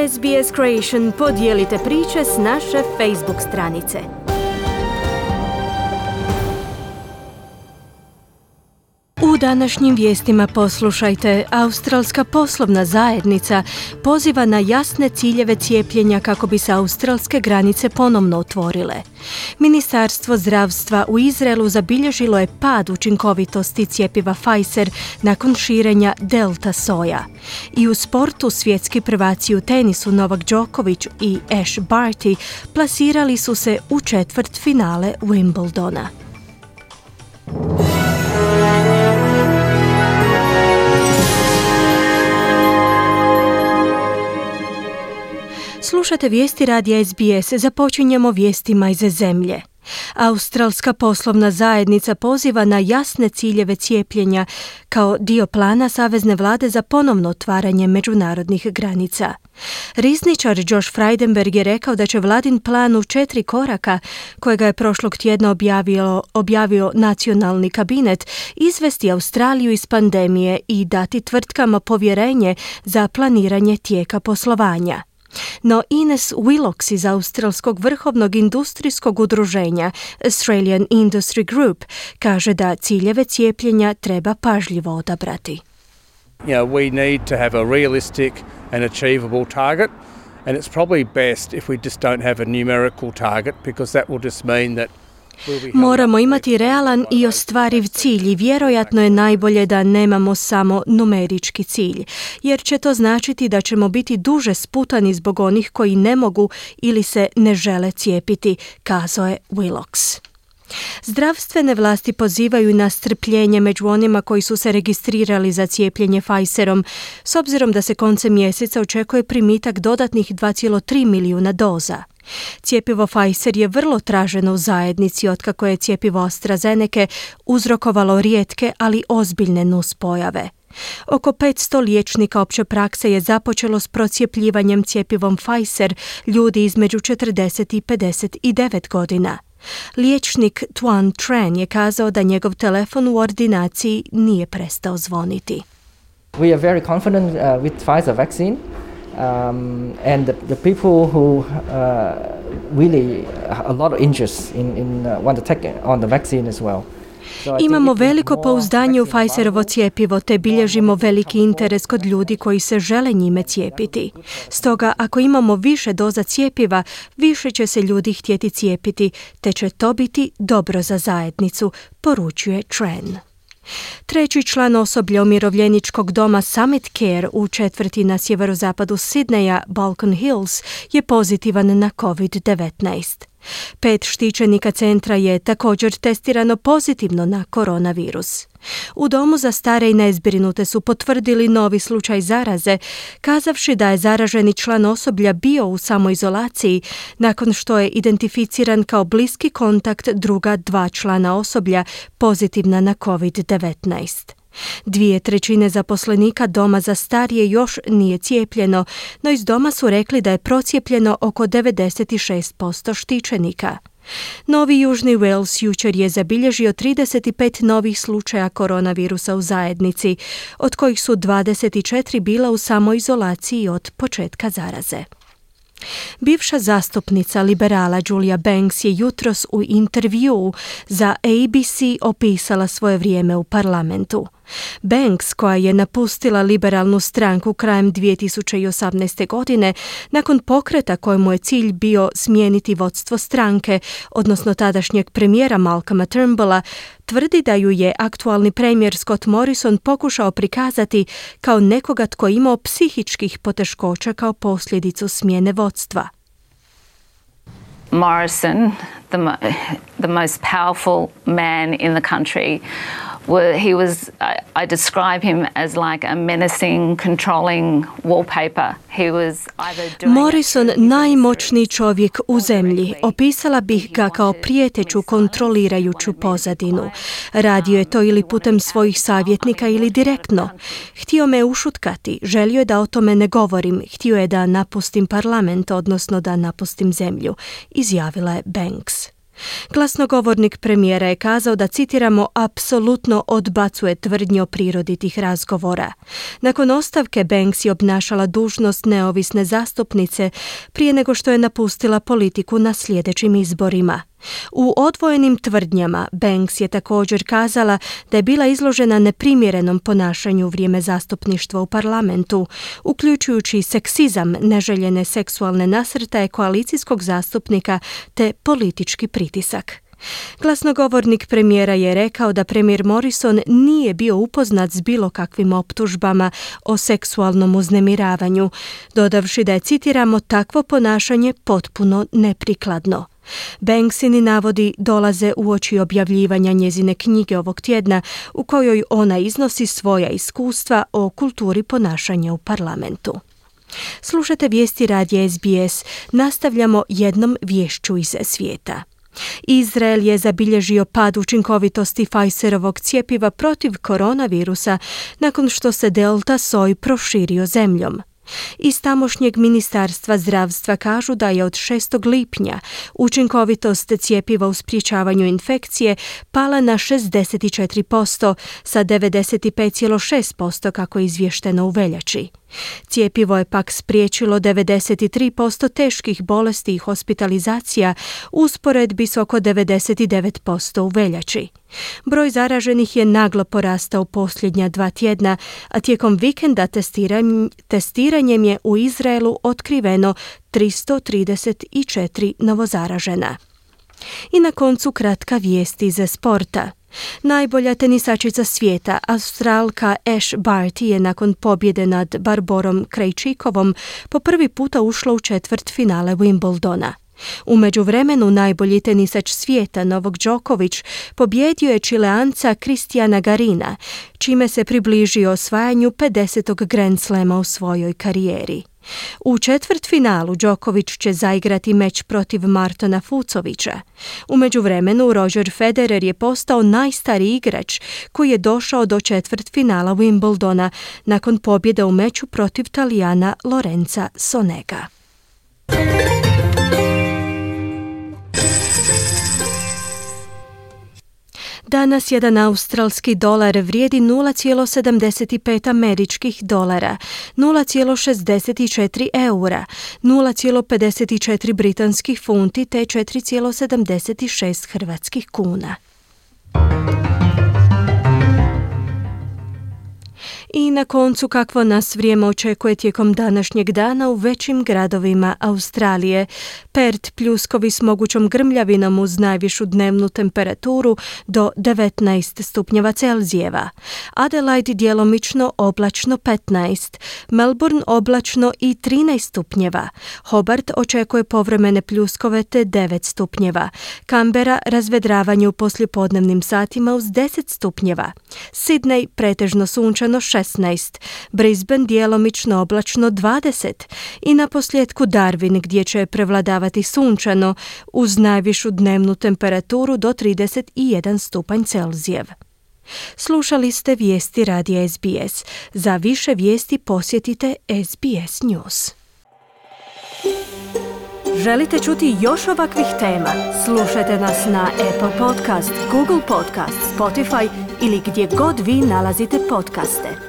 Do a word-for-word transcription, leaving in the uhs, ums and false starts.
S B S Creation, podijelite priče s naše Facebook stranice. U današnjim vijestima poslušajte, australska poslovna zajednica poziva na jasne ciljeve cijepljenja kako bi se australske granice ponovno otvorile. Ministarstvo zdravstva u Izraelu zabilježilo je pad učinkovitosti cjepiva Pfizer nakon širenja delta soja. I u sportu svjetski prvaci u tenisu Novak Djokovic i Ash Barty plasirali su se u četvrt finale Wimbledona. Slušate vijesti radija S B S, započinjemo vijestima iz zemlje. Australska poslovna zajednica poziva na jasne ciljeve cijepljenja kao dio plana savezne vlade za ponovno otvaranje međunarodnih granica. Rizničar Josh Frydenberg je rekao da će vladin plan u četiri koraka, kojega je prošlog tjedna objavio, objavio nacionalni kabinet, izvesti Australiju iz pandemije i dati tvrtkama povjerenje za planiranje tijeka poslovanja. No Ines Willox iz Australskog vrhovnog industrijskog udruženja Australian Industry Group kaže da ciljeve cijepljenja treba pažljivo odabrati. You know, we need to have a realistic and achievable target, and it's probably best if we just don't have a numerical target, because that will just mean that moramo imati realan i ostvariv cilj i vjerojatno je najbolje da nemamo samo numerički cilj, jer će to značiti da ćemo biti duže sputani zbog onih koji ne mogu ili se ne žele cijepiti, kazao je Willox. Zdravstvene vlasti pozivaju na strpljenje među onima koji su se registrirali za cijepljenje Pfizerom, s obzirom da se koncem mjeseca očekuje primitak dodatnih dva zarez tri milijuna doza. Cjepivo Pfizer je vrlo traženo u zajednici otkako je cjepivo AstraZeneca uzrokovalo rijetke, ali ozbiljne nuspojave. Oko petsto liječnika opće prakse je započelo s procijepljivanjem cjepivom Pfizer ljudi između četrdeset i pedeset devet godina. Liječnik Tuan Tran je kazao da njegov telefon u ordinaciji nije prestao zvoniti. We are very confident uh, with Pfizer vaccine. Um, and the, the people who uh, really a lot of interest in, in uh, want to take on the vaccine as well. So imamo veliko pouzdanje u Pfizerovo cjepivo te bilježimo veliki interes kod ljudi koji se žele njime cijepiti. Stoga, ako imamo više doza cjepiva, više će se ljudi htjeti cijepiti, te će to biti dobro za zajednicu, poručuje Tran. Treći član osoblja umirovljeničkog doma Summit Care u četvrti na sjeverozapadu Sidneja, Balcon Hills, je pozitivan na covid devetnaest. Pet štićenika centra je također testirano pozitivno na koronavirus. U domu za stare i nezbrinute su potvrdili novi slučaj zaraze, kazavši da je zaraženi član osoblja bio u samoizolaciji nakon što je identificiran kao bliski kontakt druga dva člana osoblja pozitivna na covid devetnaest. Dvije trećine zaposlenika doma za starije još nije cijepljeno, no iz doma su rekli da je procijepljeno oko devedeset šest posto štićenika. Novi Južni Wales jučer je zabilježio trideset pet novih slučaja koronavirusa u zajednici, od kojih su dvadeset četiri bila u samoizolaciji od početka zaraze. Bivša zastupnica liberala Julia Banks je jutros u intervjuu za A B C opisala svoje vrijeme u parlamentu. Banks, koja je napustila liberalnu stranku krajem dvije tisuće osamnaeste. godine, nakon pokreta kojemu je cilj bio smijeniti vodstvo stranke, odnosno tadašnjeg premijera Malcolma Turnbulla, tvrdi da ju je aktualni premijer Scott Morrison pokušao prikazati kao nekoga tko imao psihičkih poteškoća kao posljedicu smjene vodstva. Morrison, the, mo- the most powerful man in the country, Well, he was, I, I describe him as like a menacing, controlling wallpaper. He was either doing Morrison, najmoćniji čovjek u zemlji, opisala bih ga kao prijeteću, kontrolirajuću pozadinu. Radio je to ili putem svojih savjetnika ili direktno. Htio me ušutkati, želio je da o tome ne govorim, htio je da napustim parlament, odnosno da napustim zemlju, izjavila je Banks. Glasnogovornik premijera je kazao da, citiramo, apsolutno odbacuje tvrdnje o prirodi tih razgovora. Nakon ostavke Banks je obnašala dužnost neovisne zastupnice prije nego što je napustila politiku na sljedećim izborima. U odvojenim tvrdnjama Banks je također kazala da je bila izložena neprimjerenom ponašanju u vrijeme zastupništva u parlamentu, uključujući seksizam, neželjene seksualne nasrtaje koalicijskog zastupnika te politički pritisak. Glasnogovornik premijera je rekao da premijer Morrison nije bio upoznat s bilo kakvim optužbama o seksualnom uznemiravanju, dodavši da je, citiramo, takvo ponašanje potpuno neprikladno. Banksini navodi dolaze uoči objavljivanja njezine knjige ovog tjedna u kojoj ona iznosi svoja iskustva o kulturi ponašanja u parlamentu. Slušate vijesti radija S B S, nastavljamo jednom viješću iz svijeta. Izrael je zabilježio pad učinkovitosti Pfizerovog cjepiva protiv koronavirusa nakon što se delta soj proširio zemljom. Iz tamošnjeg ministarstva zdravstva kažu da je od šestog lipnja učinkovitost cjepiva u sprječavanju infekcije pala na šezdeset četiri posto sa devedeset pet zarez šest posto kako je izvješteno u veljači. Cjepivo je pak spriječilo devedeset tri posto teških bolesti i hospitalizacija u usporedbi s oko devedeset devet posto u veljači. Broj zaraženih je naglo porastao posljednja dva tjedna, a tijekom vikenda testiranjem, testiranjem je u Izraelu otkriveno tristo trideset četiri novozaražena. I na koncu kratka vijest iz sporta. Najbolja tenisačica svijeta, Australka Ash Barty, je nakon pobjede nad Barborom Krejčikovom po prvi puta ušla u četvrt finale Wimbledona. U međuvremenu najbolji tenisač svijeta Novak Đoković pobjedio je Čileanca Kristijana Garina, čime se približio osvajanju pedesetog Grand Slama u svojoj karijeri. U četvrtfinalu Đoković će zaigrati meč protiv Martona Fucovića. U međuvremenu Roger Federer je postao najstariji igrač koji je došao do četvrtfinala Wimbledona nakon pobjede u meču protiv Talijana Lorenza Sonega. Danas jedan australski dolar vrijedi nula zarez sedamdeset pet američkih dolara, nula zarez šezdeset četiri eura, nula zarez pedeset četiri britanskih funti te četiri zarez sedamdeset šest hrvatskih kuna. I na koncu, kakvo nas vrijeme očekuje tijekom današnjeg dana u većim gradovima Australije. Perth pljuskovi s mogućom grmljavinom uz najvišu dnevnu temperaturu do devetnaest stupnjeva Celzijeva. Adelaide djelomično oblačno petnaest, Melbourne oblačno i trinaest stupnjeva. Hobart očekuje povremene pljuskove te devet stupnjeva. Canberra razvedravanje u poslijepodnevnim satima uz deset stupnjeva. Sydney pretežno sunčano šesnaest, Brisbane djelomično oblačno dvadeset i na posljedku Darwin gdje će prevladavati sunčano uz najvišu dnevnu temperaturu do trideset jedan stupanj Celzijev. Slušali ste vijesti radija S B S. Za više vijesti posjetite S B S News. Želite čuti još ovakvih tema? Slušajte nas na Apple Podcast, Google Podcast, Spotify ili gdje god vi nalazite podcaste.